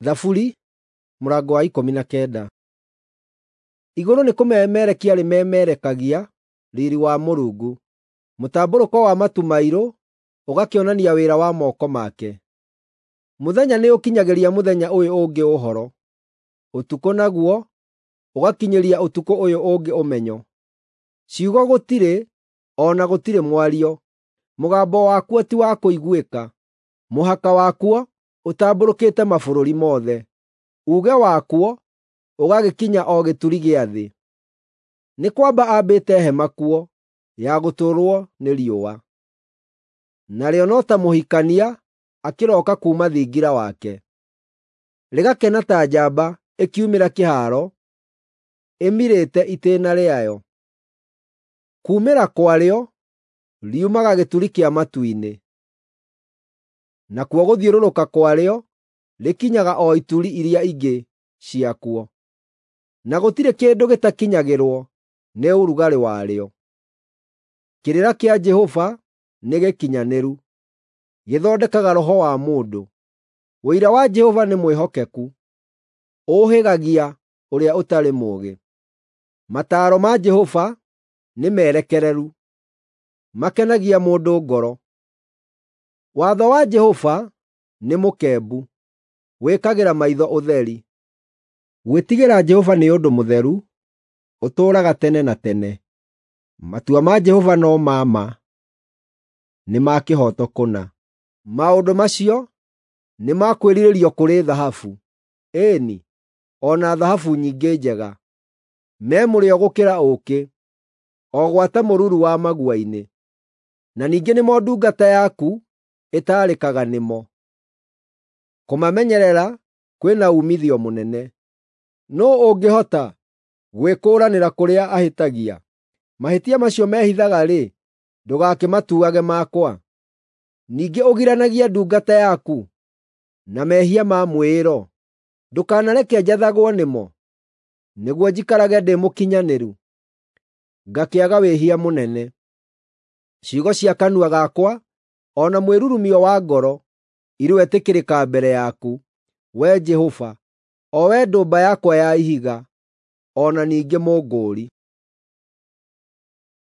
Thaburi mũrango wa 19. Igũrũ nĩ kũmemerekia rĩmemerekagia riiri wa Mũrungu, mũtambũrũko wa matu mairũ ũgakĩonania wĩra wa moko make. Mũthenya nĩũkinyagĩria mũthenya ũyũ ũngĩ ũhoro, ũtukũ naguo ũgakinyĩria ũtukũ ũyũ ũngĩ ũmenyo. Ciugo gũtirĩ, o na gũtirĩ mwario, mũgambo wakuo ti wa kũiguĩka. Mũhaka wakuo ũtambũrũkĩte mabũrũri mothe, uuge wakuo ũgagĩkinya o gĩturi gĩa thĩ. Nĩ kwamba aambĩte hema kuo ya gũtũũrwo nĩ riũa, narĩo no ta mũhikania akĩroka kuuma thingira wake, rĩgakena ta njamba ĩkiumĩra kĩhaaro ĩmirĩte itĩĩna rĩayo. Kuumĩra kwarĩo riumaga gĩturi kĩa matu-inĩ, nakuo gũthiũrũrũka kwarĩo rĩkinyaga o ituri iria ingĩ ciakuo, na gũtirĩ kĩndũ gĩtakinyagĩrwo nĩ ũrugarĩ warĩo. Kĩrĩra kĩa Jehova nĩ gĩkinyanĩru, gĩthondekaga roho wa mũndũ. Ũira wa Jehova nĩ mwĩhokeku, ũũhĩgagia ũrĩa ũtarĩ mũũgĩ. Mataaro ma Jehova nĩ merekereru, makenagia mũndũ ngoro. Watho wa Jehova nĩ mũkembu, wĩkagĩra maitho ũtheri. Gwĩtigĩra Jehova nĩ ũndũ mũtheru, ũtũũraga tene na tene. Matua ma Jehova no ma ma, nĩ ma kĩhooto kũna. Maũndũ macio nĩ ma kwĩrirĩrio kũrĩ thahabu, ĩĩ-ni, o na thahabu nyingĩ njega. Me mũrĩo gũkĩra ũũkĩ, o gwata mũruru wa magua-inĩ. Na ningĩ nĩmo ndungata yaku ĩtaarĩkaga nĩmo. Kũmamenyerera kwĩ na uumithio mũnene. Nũũ ũngĩhota gwĩkũũranĩra kũrĩa ahĩtagia? Mahĩtia macio mehithaga-rĩ, ndũgakĩmatuage makwa. Ningĩ ũgiranagie ndungata yaku na mehia ma mwĩĩro. Ndũkanareke njathagwo nĩmo, nĩguo njikarage ndĩ mũkinyanĩru, ngakĩaga wĩhia mũnene. Ciugo cia kanua gakwa o na mwĩrurumio wa ngoro iroetĩkĩrĩka mbere yaku, Wee Jehova, o Wee ndũmba yakwa ya ihiga, o na ningĩ Mũngũũri.